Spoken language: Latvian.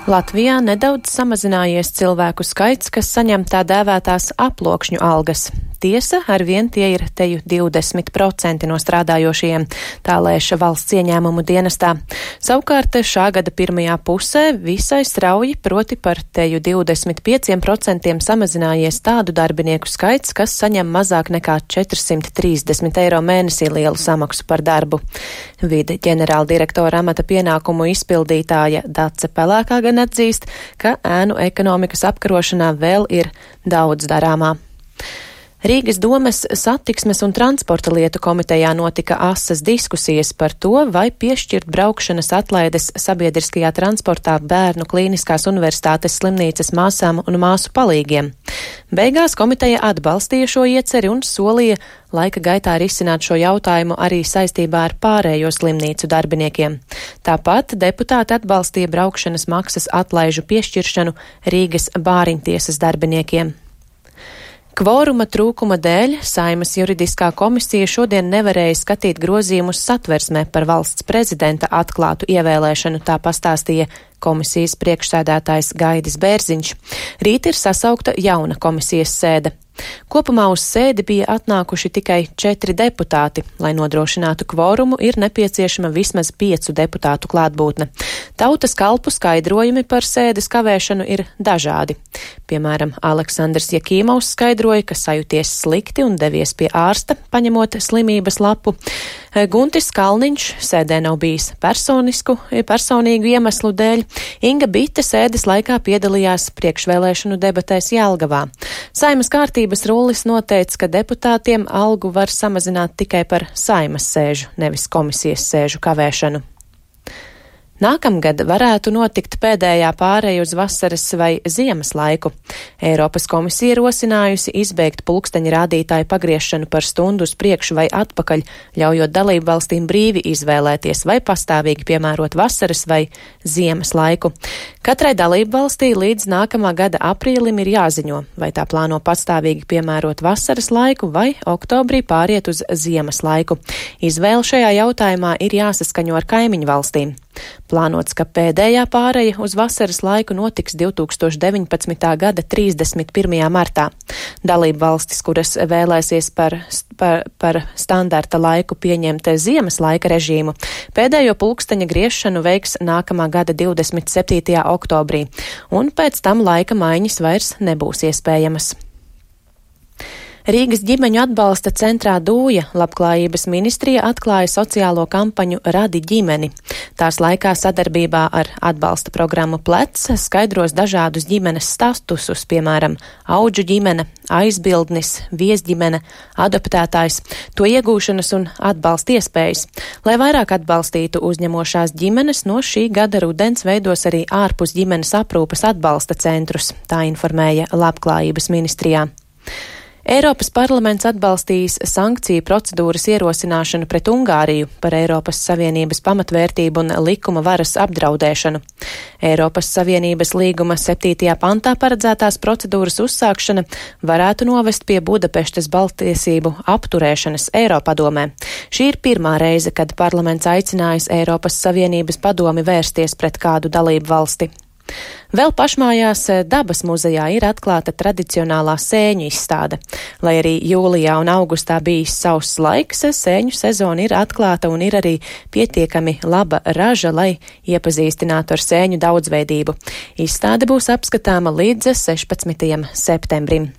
Latvijā nedaudz samazinājies cilvēku skaits, kas saņem tā dēvētās aploksņu algas. Tiesa, arvien tie ir teju 20% no strādājošajiem, tā lēš valsts ieņēmumu dienestā. Savukārt šā gada pirmajā pusē visai strauji, proti par teju 25% samazinājies tādu darbinieku skaits, kas saņem mazāk nekā 430 eiro mēnesī lielu samaksu par darbu. Vide ģenerāldirektora amata pienākumu izpildītāja Dace Pelēkā gan atzīst, ka ēnu ekonomikas apkarošanā vēl ir daudz darāmā. Rīgas domes satiksmes un transporta lietu komitejā notika asas diskusijas par to, vai piešķirt braukšanas atlaides sabiedriskajā transportā Bērnu Klīniskās universitātes slimnīcas māsām un māsu palīgiem. Beigās komiteja atbalstīja šo ieceri un solīja laika gaitā risināt šo jautājumu arī saistībā ar pārējo slimnīcu darbiniekiem. Tāpat deputāti atbalstīja braukšanas maksas atlaižu piešķiršanu Rīgas Bāriņtiesas darbiniekiem. Kvoruma trūkuma dēļ Saeimas juridiskā komisija šodien nevarēja skatīt grozījumus satversmē par valsts prezidenta atklātu ievēlēšanu, tā pastāstīja komisijas priekšsēdētājs Gaidis Bērziņš. Rīt ir sasaukta jauna komisijas sēde. Kopumā uz sēdi bija atnākuši tikai 4 deputāti. Lai nodrošinātu kvorumu, ir nepieciešama vismaz 5 deputātu klātbūtne. Tautas kalpu skaidrojumi par sēdes kavēšanu ir dažādi. Piemēram, Aleksandrs Jakīmovs skaidroja, ka sajūties slikti un devies pie ārsta, paņemot slimības lapu. Guntis Kalniņš sēdē nav bijis personīgu iemeslu dēļ. Inga Bite sēdes laikā piedalījās priekšvēlēšanu debatēs Jelgavā. Saeimas kārtības rullis noteica, ka deputātiem algu var samazināt tikai par Saeimas sēžu, nevis komisijas sēžu kavēšanu. Nākamgad varētu notikt pēdējā pāreja uz vasaras vai ziemas laiku. Eiropas komisija rosinājusi izbeigt pulksteņa rādītāju pagriešanu par stundu uz priekšu vai atpakaļ, ļaujot dalību valstīm brīvi izvēlēties vai pastāvīgi piemērot vasaras vai ziemas laiku. Katrai dalību valstī līdz nākamā gada aprīlim ir jāziņo, vai tā plāno pastāvīgi piemērot vasaras laiku vai oktobrī pāriet uz ziemas laiku. Izvēle šajā jautājumā ir jāsaskaņo ar kaimiņu valstīm. Plānots, ka pēdējā pāreja uz vasaras laiku notiks 2019. gada 31. martā. Dalību valstis, kuras vēlēsies par standarta laiku pieņemt ziemas laika režīmu, pēdējo pulksteņa griešanu veiks nākamā gada 27. oktobrī, un pēc tam laika maiņas vairs nebūs iespējamas. Rīgas ģimeņu atbalsta centrā Dūja Labklājības ministrija atklāja sociālo kampaņu Radi ģimeni. Tās laikā sadarbībā ar atbalsta programmu Plec skaidros dažādus ģimenes statusus, piemēram, audžu ģimene, aizbildnis, viesģimene, adoptētājs, to iegūšanas un atbalsta iespējas. Lai vairāk atbalstītu uzņemošās ģimenes, no šī gada rudens veidos arī ārpus ģimenes aprūpes atbalsta centrus, tā informēja Labklājības ministrijā. Eiropas parlaments atbalstījis sankciju procedūras ierosināšanu pret Ungāriju par Eiropas Savienības pamatvērtību un likuma varas apdraudēšanu. Eiropas Savienības līguma 7. pantā paredzētās procedūras uzsākšana varētu novest pie Budapeštas balttiesību apturēšanas Eiropadomē. Šī ir pirmā reize, kad parlaments aicinājis Eiropas Savienības padomi vērsties pret kādu dalību valsti. Vēl pašmājās Dabas muzejā ir atklāta tradicionālā sēņu izstāde. Lai arī jūlijā un augustā bijis sauss laiks, sēņu sezona ir atklāta un ir arī pietiekami laba raža, lai iepazīstinātu ar sēņu daudzveidību. Izstāde būs apskatāma līdz 16. septembrim.